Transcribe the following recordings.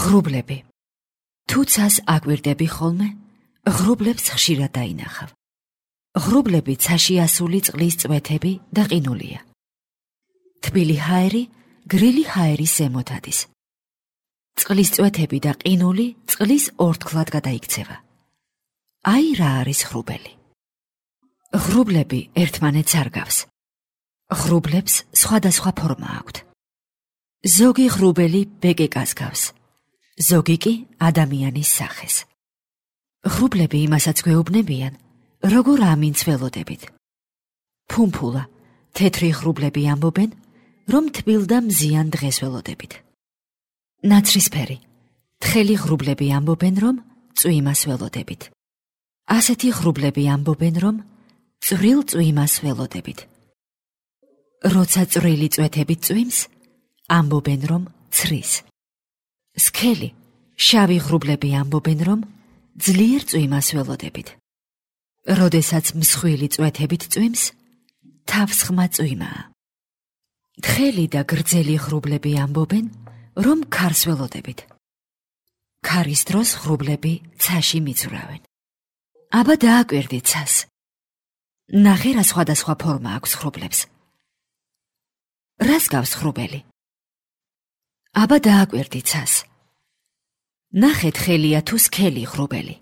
ღრუბლები. თუ ცას აკვირდები ხოლმე, ღრუბლებს ხშირად დაინახავ. ღრუბლები ცაში ასული წყლის წვეთები და ყინულია. თბილი ჰაერი გრილი ჰაერის ზემოთ ადის. წყლის წვეთები და ყინული წყლის ორთქლად გადაიქცევა. აი რა არის ღრუბელი. ღრუბლები ერთმანეთს არ გავს. ღრუბლებს სხვადასხვა ფორმა აქვთ. ზოგი ღრუბელი ბეკეკას გავს, ზოგი კი ადამიანის სახეს. ღრუბლები იმასაც გვეუბნებიან, როგორ ამინც ველოდებით. ფუმფულა, თეთრი ღრუბლები ამბობენ, რომ თბილ და მზიან დღეს ველოდებით. ნაცრისფერი, თხელი ღრუბლები ამბობენ, რომ წვიმას ველოდებით. ასეთი ღრუბლები ამბობენ, რომ წვრილ წვიმას ველოდებით. როცა წვრილი წვეთებით წვიმს, ამბობენ, რომ ცრის. სქელი, შავი ღრუბლები ამბობენ, რომ ძლიერ წვიმას ველოდებით. როდესაც მსხვილი წვეთებით წვიმს, თავსხმა წვიმაა. თხელი და გრძელი ღრუბლები ამბობენ, რომ ქარს ველოდებით. ქარის დროს ღრუბლები ცაში მიცურავენ. აბა დააკვირდი ცას. ნახე რა სხვადასხვა ფორმა აქვს ღრუბლებს. რას გავს ღრუბელი? აბა დააკვირდი ცას. ნახე თხელია თუ სქელი ღრუბელი.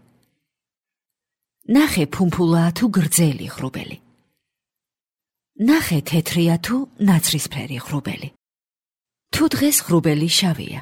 ნახე ფუმფულაა თუ გრძელი ღრუბელი. ნახე თეთრია თუ ნაცრისფერი ღრუბელი. თუ დღეს ღრუბელი შავია.